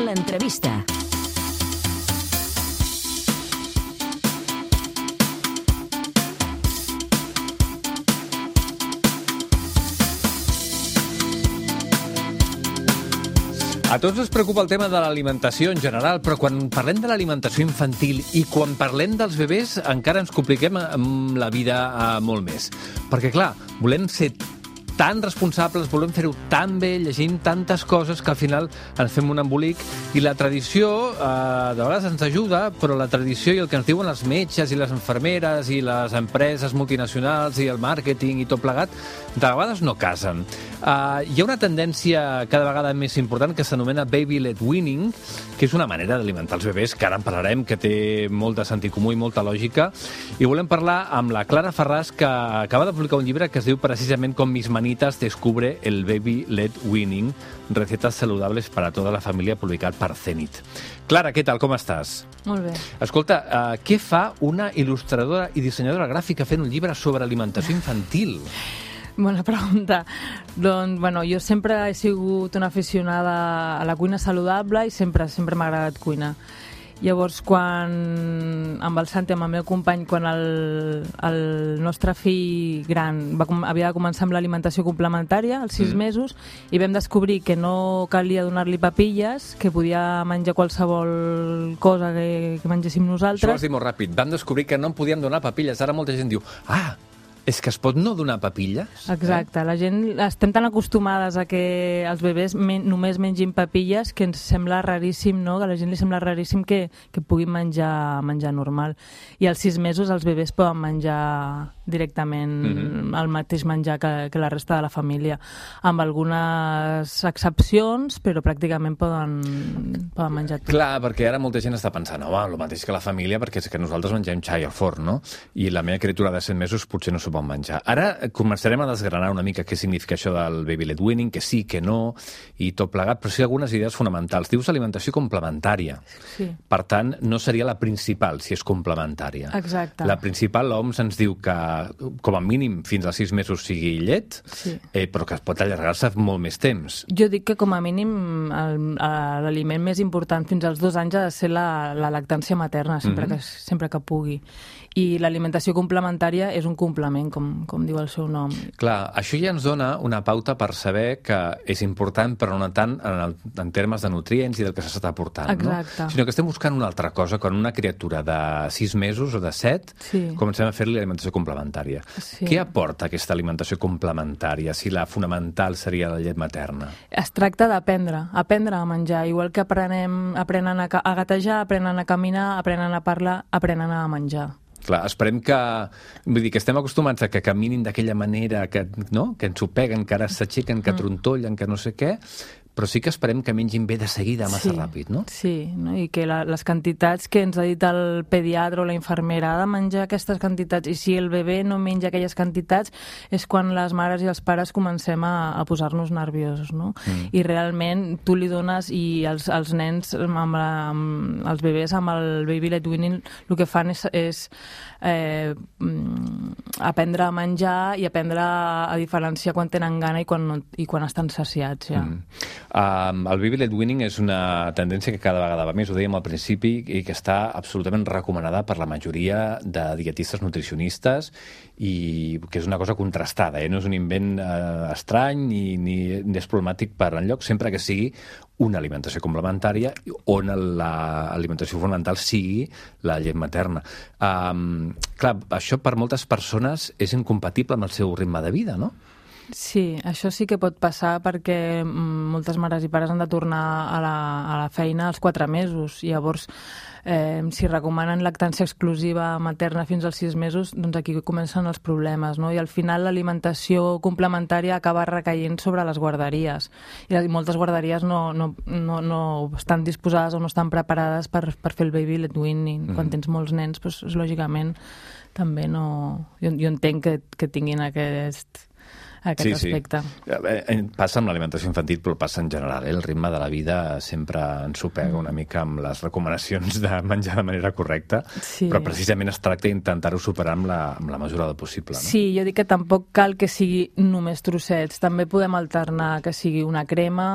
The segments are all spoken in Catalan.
L'entrevista. A tots ens preocupa el tema de l'alimentació en general, però quan parlem de l'alimentació infantil i quan parlem dels bebès encara ens compliquem amb la vida molt més. Perquè, clar, volem ser tan responsables, volem fer-ho tan bé, llegint tantes coses que al final ens fem un embolic i la tradició de vegades ens ajuda, però la tradició i el que ens diuen els metges i les infermeres i les empreses multinacionals i el màrqueting i tot plegat, de vegades no casen. Hi ha una tendència cada vegada més important que s'anomena baby-led weaning, que és una manera d'alimentar els bebès, que ara en parlarem, que té molt de sentit comú i molta lògica, i volem parlar amb la Clara Ferràs, que acaba de publicar un llibre que es diu precisament Com mis manitas descubre el baby-led weaning, recetas saludables para toda la familia, publicat per Zenit. Clara, què tal, com estàs? Molt bé. Escolta, què fa una il·lustradora i dissenyadora gràfica fent un llibre sobre alimentació infantil? Bona pregunta. Doncs, bueno, jo sempre he sigut una aficionada a la cuina saludable i sempre m'ha agradat cuinar. Llavors, quan amb el Santi, amb el meu company, quan el nostre fill gran havia de començar amb l'alimentació complementària, als 6 mesos, i vam descobrir que no calia donar-li papilles, que podia menjar qualsevol cosa que mengéssim nosaltres. Això ho has dit molt ràpid. Vam descobrir que no en podíem donar papilles. Ara molta gent diu, és que es pot no donar papilles? Exacte. La gent estem tan acostumades a que els bebès només mengin papilles que ens sembla raríssim, no? Que a la gent li sembla raríssim que puguin menjar normal. I als 6 mesos els bebès poden menjar directament el mateix menjar que la resta de la família, amb algunes excepcions, però pràcticament poden menjar tot. Clar, perquè ara molta gent està pensant, el mateix que la família, perquè és que nosaltres mengem xai al forn, no? I la meva criatura de 7 mesos potser no s'ho pot menjar. Ara començarem a desgranar una mica què significa això del baby-led weaning, que sí, que no, i tot plegat, però sí algunes idees fonamentals. Dius alimentació complementària. Sí. Per tant, no seria la principal, si és complementària. Exacte. La principal, l'OMS ens diu que, com a mínim, fins als 6 mesos sigui llet, sí. Però que pot allargar-se molt més temps. Jo dic que, com a mínim, l'aliment més important fins als 2 anys ha de ser la lactància materna, sempre que pugui. I l'alimentació complementària és un complement, com diu el seu nom. Clar, això ja ens dona una pauta per saber que és important, però no tant en termes de nutrients i del que s'està aportant, exacte. No? Sinó que estem buscant una altra cosa, quan una criatura de 6 mesos o de 7 comencem a fer-li alimentació complementària. Sí. Què aporta aquesta alimentació complementària, si la fonamental seria la llet materna? Es tracta d'aprendre a menjar, igual que aprenen a gatejar, aprenen a caminar, aprenen a parlar, aprenen a menjar. Clar, esperem que... Vull dir, que estem acostumats a que caminin d'aquella manera, que ens ho peguen, que ara s'aixequen, que trontollen, que no sé què, però sí que esperem que mengin bé de seguida, massa ràpid, no? Sí, no? I que les quantitats que ens ha dit el pediatre o la infermera, ha de menjar aquestes quantitats, i si el bebè no menja aquelles quantitats és quan les mares i els pares comencem a posar-nos nerviosos, no? I realment tu li dones, i els nens, els bebès amb el baby-led weaning, el que fan és aprendre a menjar i aprendre a diferenciar quan tenen gana i quan estan saciats, ja. El baby-led weaning és una tendència que cada vegada va més, ho dèiem al principi, i que està absolutament recomanada per la majoria de dietistes nutricionistes, i que és una cosa contrastada, no és un invent estrany ni és problemàtic per enlloc, sempre que sigui una alimentació complementària on l'alimentació fonamental sigui la llet materna. Clar, això per moltes persones és incompatible amb el seu ritme de vida, no? Sí, això sí que pot passar perquè moltes mares i pares han de tornar a la feina als 4 mesos. Llavors, si recomanen lactància exclusiva materna fins als 6 mesos, doncs aquí comencen els problemes, no? I al final l'alimentació complementària acaba recaient sobre les guarderies. I moltes guarderies no estan disposades o no estan preparades per fer el baby-led weaning. Quan tens molts nens, doncs, lògicament, també no... Jo entenc que tinguin aquest aspecte. Passa amb l'alimentació infantil, però passa en general. El ritme de la vida sempre ens ho pega una mica amb les recomanacions de menjar de manera correcta, però precisament es tracta d'intentar-ho superar amb la mesura del possible. No? Sí, jo dic que tampoc cal que sigui només trossets. També podem alternar que sigui una crema,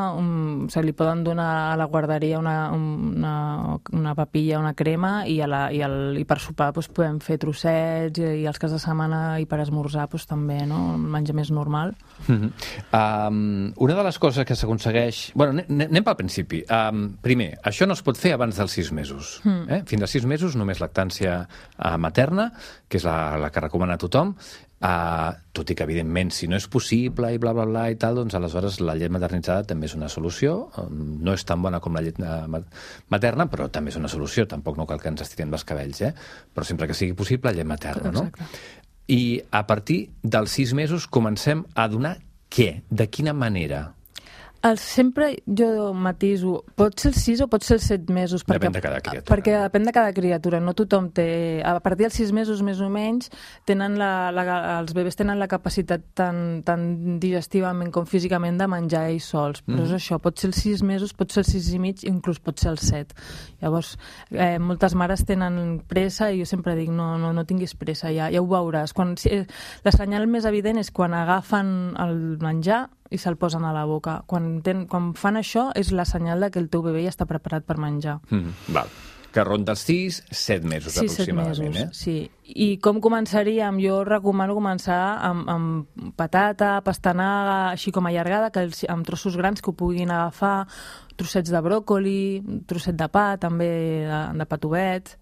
se li poden donar a la guarderia una papilla, una crema, i per sopar podem fer trossets, i els caps de setmana i per esmorzar també, no? Menjar més normal. Una de les coses que s'aconsegueix... Bueno, anem pel principi. Primer, això no es pot fer abans dels 6 mesos. Fins als 6 mesos només lactància materna, que és la que recomana tothom, tot i que, evidentment, si no és possible i bla, bla, bla i tal, doncs aleshores la llet maternitzada també és una solució. No és tan bona com la llet materna, però també és una solució. Tampoc no cal que ens estirem els cabells, però sempre que sigui possible, llet materna, no? I a partir dels 6 mesos comencem a donar què? De quina manera? Sempre jo matiso, pot ser els 6 o pot ser els 7 mesos. Depèn de cada criatura. Perquè depèn de cada criatura. No tothom té... A partir dels 6 mesos, més o menys, els bebès tenen la capacitat tant digestivament com físicament de menjar ells sols. Però és això, pot ser els 6 mesos, pot ser els 6 i mig, inclús pot ser els 7. Llavors, moltes mares tenen pressa i jo sempre dic, no tinguis pressa, ja ho veuràs. La senyal més evident és quan agafen el menjar i se'l posen a la boca. Quan fan això és la senyal que el teu bebè ja està preparat per menjar. Val. Que ronda els 6-7 mesos, aproximadament. 7 mesos, sí. I com començaríem? Jo recomano començar amb patata, pastanaga, així com allargada, amb trossos grans que ho puguin agafar, trossets de bròcoli, trosset de pa, també de patovet,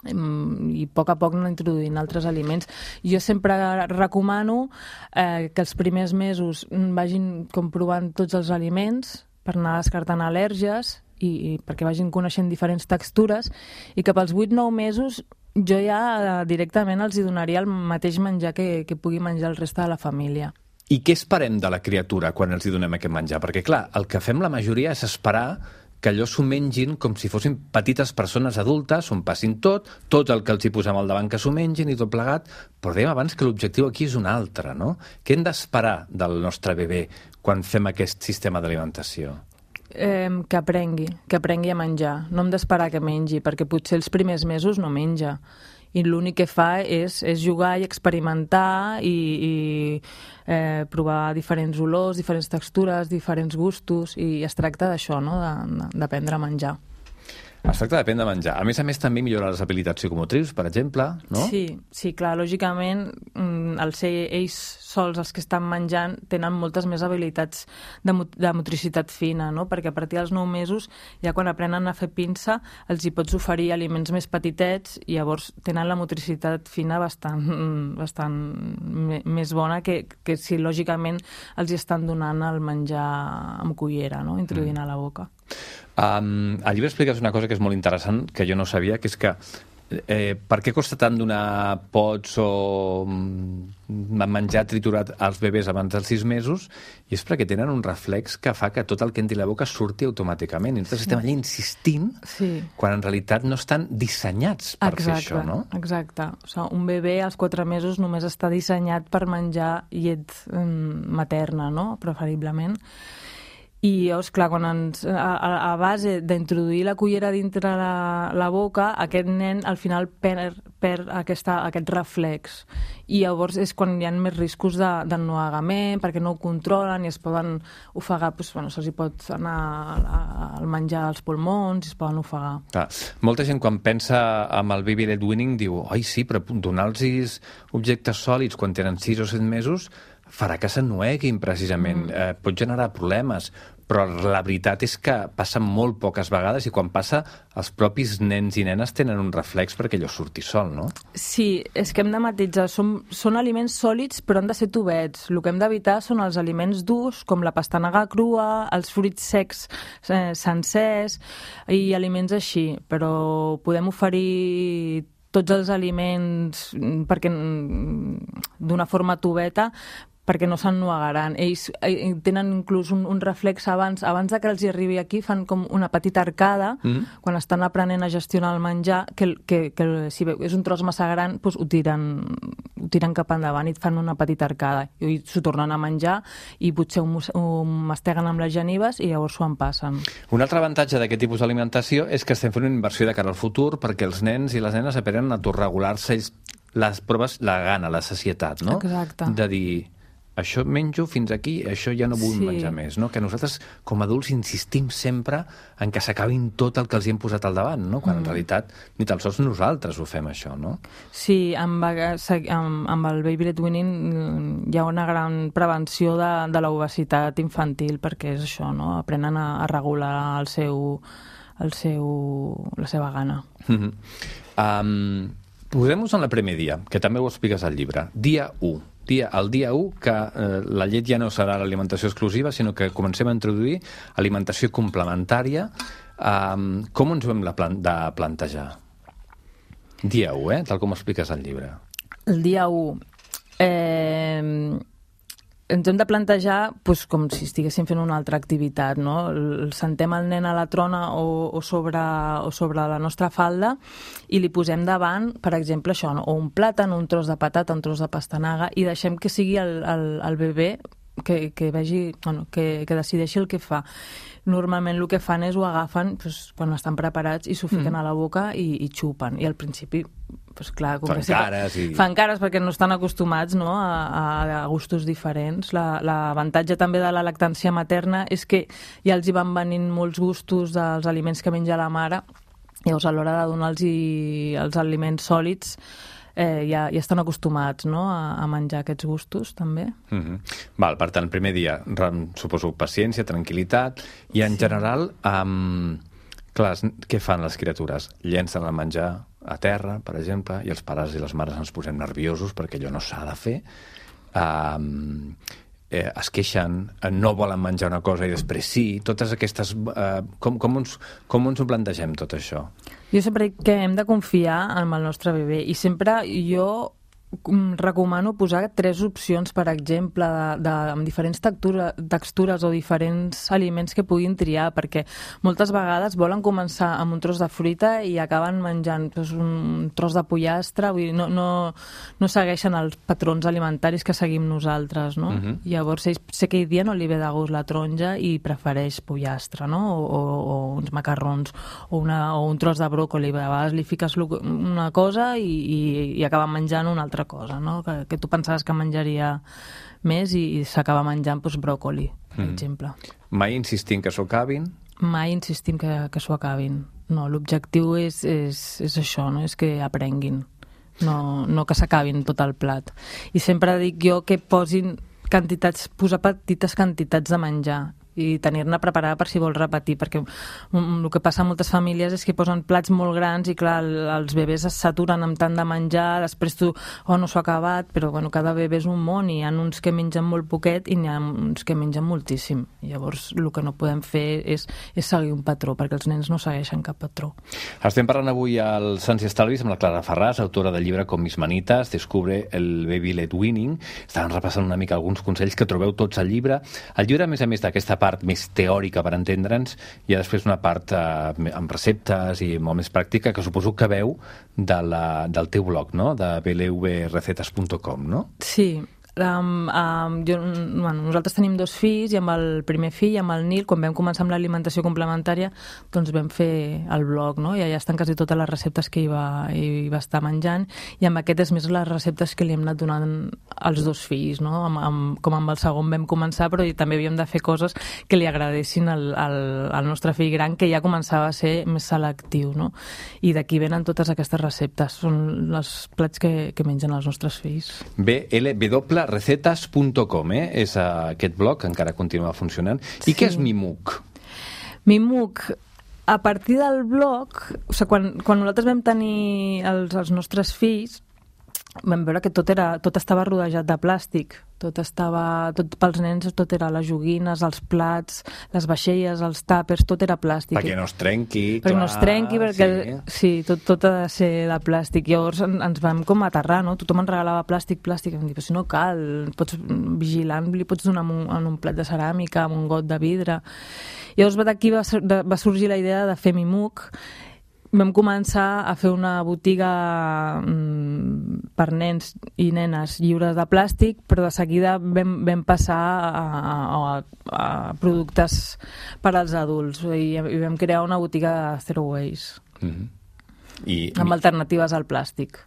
i a poc anar introduint altres aliments. Jo sempre recomano que els primers mesos vagin comprovant tots els aliments per anar descartant al·lèrgies i perquè vagin coneixent diferents textures, i que pels 8-9 mesos jo ja directament els hi donaria el mateix menjar que pugui menjar el reste de la família. I què esperem de la criatura quan els hi donem aquest menjar? Perquè, clar, el que fem la majoria és esperar que allò s'ho mengin com si fossin petites persones adultes, on passin tot el que els hi posem al davant que s'ho mengin i tot plegat, però dèiem abans que l'objectiu aquí és un altre, no? Què hem d'esperar del nostre bebè quan fem aquest sistema d'alimentació? Que aprengui a menjar. No hem d'esperar que mengi, perquè potser els primers mesos no menja. I l'únic que fa és jugar i experimentar i provar diferents olors, diferents textures, diferents gustos, i es tracta d'això, no? D'aprendre a menjar. Es tracta d'aprendre a menjar. A més, també millorar les habilitats psicomotrius, per exemple, no? Sí, clar, lògicament, al ser ells sols els que estan menjant, tenen moltes més habilitats de motricitat fina, no? Perquè a partir dels 9 mesos, ja quan aprenen a fer pinça, els hi pots oferir aliments més petitets, i llavors tenen la motricitat fina bastant més bona que si, lògicament, els hi estan donant el menjar amb cullera, no? Introduint a la boca. Al llibre expliques una cosa que és molt interessant, que jo no sabia, que és que per què costa tant donar pots o menjar triturat als bebès abans dels 6 mesos? I és perquè tenen un reflex que fa que tot el que entri a la boca surti automàticament. I nosaltres estem allà insistint quan en realitat no estan dissenyats per fer això, no? Exacte. O sigui, un bebè als 4 mesos només està dissenyat per menjar llet materna, no? Preferiblement. I llavors, clar, quan a base d'introduir la cullera dintre la boca, aquest nen al final perd aquest reflex. I llavors és quan hi ha més riscos d'ennuegament, perquè no ho controlen i es poden ofegar, se'ls pot anar el menjar als pulmons i es poden ofegar. Clar, molta gent quan pensa en el baby led weaning diu, ai sí, però donar-los objectes sòlids quan tenen 6 o 7 mesos farà que s'ennueguin, precisament. Pot generar problemes, però la veritat és que passa molt poques vegades, i quan passa, els propis nens i nenes tenen un reflex perquè allò surti sol, no? Sí, és que hem de matisar. Són aliments sòlids, però han de ser tubets. El que hem d'evitar són els aliments durs, com la pastanaga crua, els fruits secs sencers i aliments així. Però podem oferir tots els aliments d'una forma tubeta, perquè no s'ennuegaran. Ells tenen inclús un reflex abans de que els hi arribi aquí, fan com una petita arcada, quan estan aprenent a gestionar el menjar, que si és un tros massa gran, doncs ho tiren cap endavant i et fan una petita arcada. I s'ho tornen a menjar i potser ho masteguen amb les genives i llavors s'ho en passen. Un altre avantatge d'aquest tipus d'alimentació és que estem fent una inversió de cara al futur perquè els nens i les nenes aprenen a autorregular-se les proves, la gana, la sacietat, no? Exacte. De dir, això menjo fins aquí, això ja no vull menjar més, no? Que nosaltres, com a adults, insistim sempre en que s'acabin tot el que els hi hem posat al davant, no? Quan en realitat ni tan sols nosaltres ho fem, això, no? Sí, amb el baby led weaning hi ha una gran prevenció de l'obesitat infantil, perquè és això, no? Aprenen a regular la seva gana. Posem-nos en el primer dia, que també ho expliques al llibre. Dia 1. El dia 1, que la llet ja no serà l'alimentació exclusiva, sinó que comencem a introduir alimentació complementària. Com ens ho hem de plantejar? Dia 1, tal com expliques al llibre. El dia 1... ens hem de plantejar com si estiguéssim fent una altra activitat, no? Sentem el nen a la trona o sobre la nostra falda i li posem davant, per exemple, això, no? O un plàtan, un tros de patata, un tros de pastanaga, i deixem que sigui el bebè que vegi, que decideixi el que fa. Normalment el que fan és ho agafen quan estan preparats i s'ho fiquen a la boca i xupen. I al principi, clar, fan cares perquè no estan acostumats, no, a gustos diferents. L'avantatge també de la lactància materna és que ja els hi van venint molts gustos dels aliments que menja la mare. Llavors, a l'hora de donar-los els aliments sòlids, ja estan acostumats, no, a menjar aquests gustos, també. Val, per tant, el primer dia, suposo, paciència, tranquil·litat, i en general, clar, què fan les criatures? Llencen el menjar a terra, per exemple, i els pares i les mares ens posem nerviosos perquè allò no s'ha de fer. Es queixen, no volen menjar una cosa i després sí, totes aquestes... Com ens ho plantegem, tot això? Jo sempre dic que hem de confiar en el nostre bebè i sempre jo recomano posar 3 opcions, per exemple, amb diferents textures o diferents aliments que puguin triar, perquè moltes vegades volen començar amb un tros de fruita i acaben menjant un tros de pollastre, vull dir, no segueixen els patrons alimentaris que seguim nosaltres, no? Llavors, sé que aquell dia no li ve de gust la taronja i prefereix pollastre, no? O uns macarrons o un tros de bròcoli. A vegades li fiques una cosa i acaba menjant una altra cosa, no? Que tu pensaves que menjaria més i s'acaba menjant bròcoli, per exemple. Mai insistim que s'ho acabin? Mai insistim que s'ho acabin. No, l'objectiu és això, no? És que aprenguin, no que s'acabin tot el plat. I sempre dic jo que posar petites quantitats de menjar i tenir-ne preparada per si vols repetir, perquè el que passa a moltes famílies és que posen plats molt grans i clar, els bebès es saturen amb tant de menjar, després tu, no s'ho ha acabat, però bueno, cada bebè és un món i hi ha uns que mengen molt poquet i n'hi ha uns que mengen moltíssim. Llavors el que no podem fer és seguir un patró, perquè els nens no segueixen cap patró. Estem parlant avui al Sants i Estalvis amb la Clara Ferràs, autora del llibre Com mis manitas, descubre el baby led weaning. Estàvem repassant una mica alguns consells que trobeu tots al llibre. El llibre, a més d'aquesta part més teòrica per entendre'ns, hi ha després una part amb receptes i molt més pràctica que suposo que veu del teu blog, no? De blvrecetas.com, no? Sí. Nosaltres tenim 2 fills i amb el primer fill, amb el Nil, quan vam començar amb l'alimentació complementària, doncs vam fer el blog, no? I allà estan quasi totes les receptes que hi va estar menjant, i amb aquest és més les receptes que li hem anat donant als 2 fills, no? Com amb el segon vam començar, però també havíem de fer coses que li agradessin al nostre fill gran, que ja començava a ser més selectiu, no? I d'aquí venen totes aquestes receptes, són els plats que mengen els nostres fills. blvrecetas.com, és aquest blog que encara continua funcionant. I què és Mimook? Mimook, a partir del blog, quan nosaltres vam tenir els nostres fills, vam veure que tot estava rodejat de plàstic. Tot pels nens tot era les joguines, els plats, les vaixelles, els tàpers, tot era plàstic. Perquè no es trenqui, perquè no es trenqui, perquè sí, tot ha de ser de plàstic. Llavors ens vam com aterrar, no? Tothom ens regalava plàstic, i vam dir, però si no cal, vigilant, li pots donar en un plat de ceràmica, amb un got de vidre. Llavors d'aquí va sorgir la idea de fer Mimuk. Vam començar a fer una botiga per nens i nenes lliures de plàstic, però de seguida vam passar a productes per als adults i vam crear una botiga de Zero Waste. Amb alternatives al plàstic.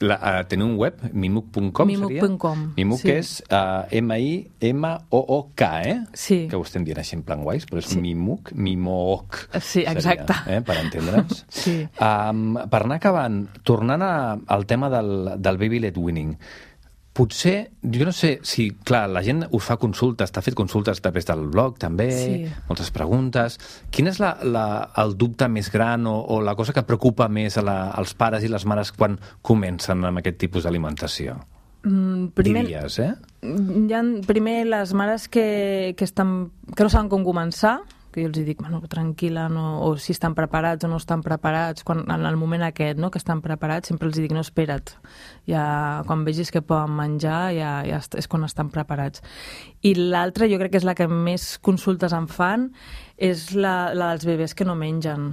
Teniu un web? Mimuk.com? Mimuk.com. Mimuk és M-I-M-O-O-K, Sí. Que ho estem dient així en plan guais, però és Mimuk, Mimook. Sí, exacte. Per entendre'ns. Sí. Per anar acabant, tornant al tema del Baby Led Weaning, potser, jo no sé si, clar, la gent us fa consultes, t'ha fet consultes a través del blog, també, moltes preguntes. Quin és el dubte més gran o la cosa que preocupa més als pares i les mares quan comencen amb aquest tipus d'alimentació? Diries, Primer, les mares que no saben com començar, que jo els dic, bueno, tranquil·la, o si estan preparats o no estan preparats, en el moment aquest, no?, que estan preparats, sempre els dic, no, espera't, ja, quan vegis que poden menjar, ja és quan estan preparats. I l'altra, jo crec que és la que més consultes em fan, és la dels bebès que no mengen.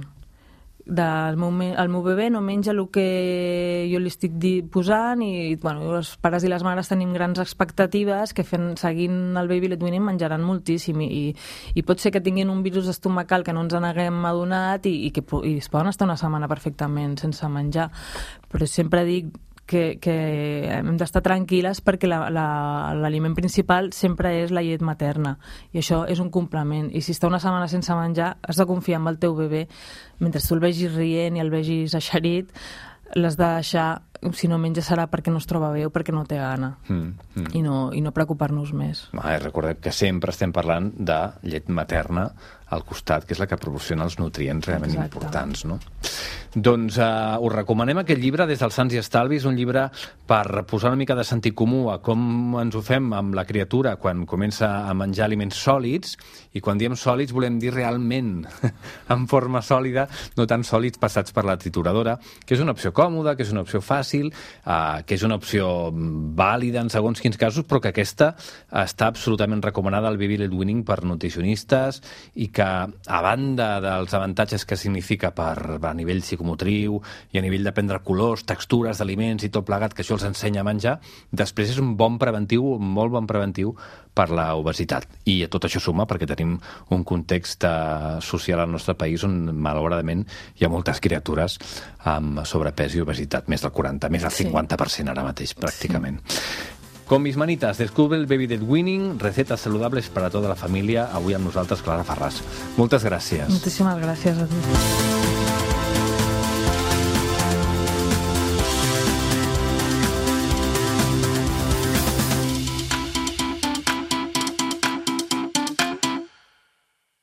El meu bebè no menja el que jo li estic posant i bueno, els pares i les mares tenim grans expectatives que seguint el Baby Led Weaning menjaran moltíssim i pot ser que tinguin un virus estomacal que no ens n'haguem adonat i es poden estar una setmana perfectament sense menjar, però sempre dic que hem d'estar tranquil·les perquè l'aliment principal sempre és la llet materna i això és un complement i si està una setmana sense menjar has de confiar en el teu bebè mentre tu el vegis rient i el vegis eixerit l'has de deixar, si no menja serà perquè no es troba bé o perquè no té gana i no preocupar-nos més. Recordem que sempre estem parlant de llet materna al costat, que és la que proporciona els nutrients realment importants, no? Doncs us recomanem aquest llibre Des dels Sants i Estalvis, un llibre per posar una mica de sentit comú a com ens ho fem amb la criatura quan comença a menjar aliments sòlids, i quan diem sòlids volem dir realment en forma sòlida, no tan sòlids passats per la trituradora, que és una opció còmoda, que és una opció fàcil, que és una opció vàlida en segons quins casos, però que aquesta està absolutament recomanada al Baby Led Weaning per nutricionistes i que, a banda dels avantatges que significa a nivell psicomotriu i a nivell d'aprendre colors, textures d'aliments i tot plegat, que això els ensenya a menjar, després és un bon preventiu, un molt bon preventiu per la obesitat. I a tot això suma perquè tenim un context social al nostre país on, malauradament, hi ha moltes criatures amb sobrepès i obesitat, més del 40, més del 50% ara mateix, pràcticament. Con mis manitas, descubre el Baby Led Weaning, recetas saludables para toda la familia. Avui amb nosaltres, Clara Farràs. Moltes gràcies. Moltíssimes gràcies a tu.